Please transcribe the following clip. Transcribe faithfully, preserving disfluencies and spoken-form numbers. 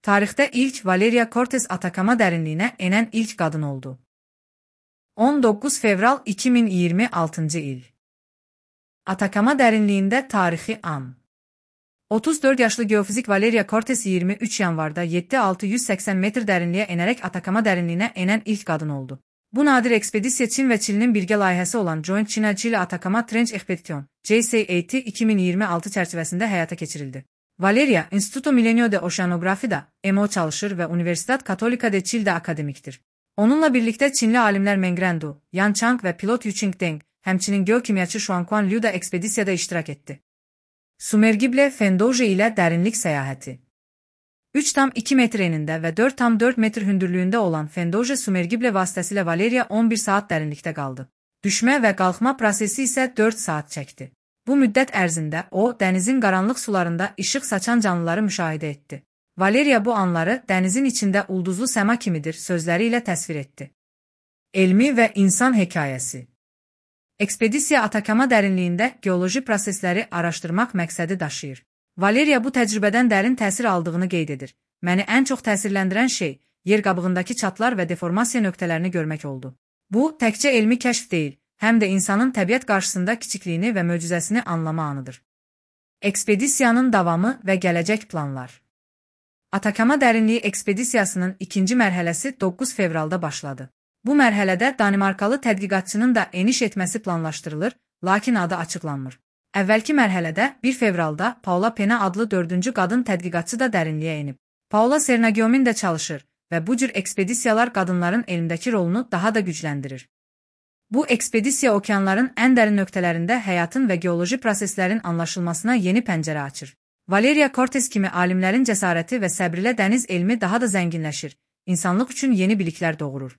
Tarixdə ilk Valeria Cortez Atakama dərinliyinə enən ilk qadın oldu. on doqquz fevral iki min iyirmi altıncı il. Atakama dərinliyində tarixi an. otuz dörd yaşlı geofizik Valeria Cortez iyirmi üç yanvarda yeddi min altı yüz səksən metr dərinliyə enərək Atakama dərinliyinə enən ilk qadın oldu. Bu nadir ekspedisiya Çin və Çilinin birgə layihəsi olan Joint China-Chile Atakama Trench Expedition (J C A T) iki min iyirmi altı çərçivəsində həyata keçirildi. Valeria, Instituto Milenio de Oceanografida, M O çalışır və Universidad Católica de Chile'də akademikdir. Onunla birlikdə Çinli alimlər Meng Rendu, Yan Chang və pilot Yuqing Deng, həmçinin geokimyaçı Xuanquan Liu da ekspedisiyada iştirak etdi. Sumergible Fendoje ilə dərinlik səyahəti. üç tam iki metr enində və dörd tam dörd metr hündürlüyündə olan Fendoje Sumergible vasitəsilə Valeria on bir saat dərinlikdə qaldı. Düşmə və qalxma prosesi isə dörd saat çəkdi. Bu müddət ərzində o, dənizin qaranlıq sularında işıq saçan canlıları müşahidə etdi. Valeria bu anları dənizin içində ulduzlu səma kimidir sözləri ilə təsvir etdi. Elmi və insan hekayəsi. Ekspedisiya Atakama dərinliyində geoloji prosesləri araşdırmaq məqsədi daşıyır. Valeria bu təcrübədən dərin təsir aldığını qeyd edir. Məni ən çox təsirləndirən şey, yer qabığındakı çatlar və deformasiya nöqtələrini görmək oldu. Bu, təkcə elmi kəşf deyil, həm də insanın təbiət qarşısında kiçikliyini və möcüzəsini anlama anıdır. Ekspedisiyanın davamı və gələcək planlar. Atakama dərinliyi ekspedisiyasının ikinci mərhələsi doqquz fevralda başladı. Bu mərhələdə Danimarkalı tədqiqatçının da eniş etməsi planlaşdırılır, lakin adı açıqlanmır. Əvvəlki mərhələdə bir fevralda Paula Pena adlı dördüncü qadın tədqiqatçı da dərinliyə enib. Paula Sernagiomin də çalışır və bu cür ekspedisiyalar qadınların elmdəki rolunu daha da gücləndirir. Bu ekspedisiya okeanların ən dərin nöqtələrində həyatın və geoloji proseslərin anlaşılmasına yeni pəncərə açır. Valeria Cortez kimi alimlərin cəsarəti və səbri ilə dəniz elmi daha da zənginləşir, insanlıq üçün yeni biliklər doğurur.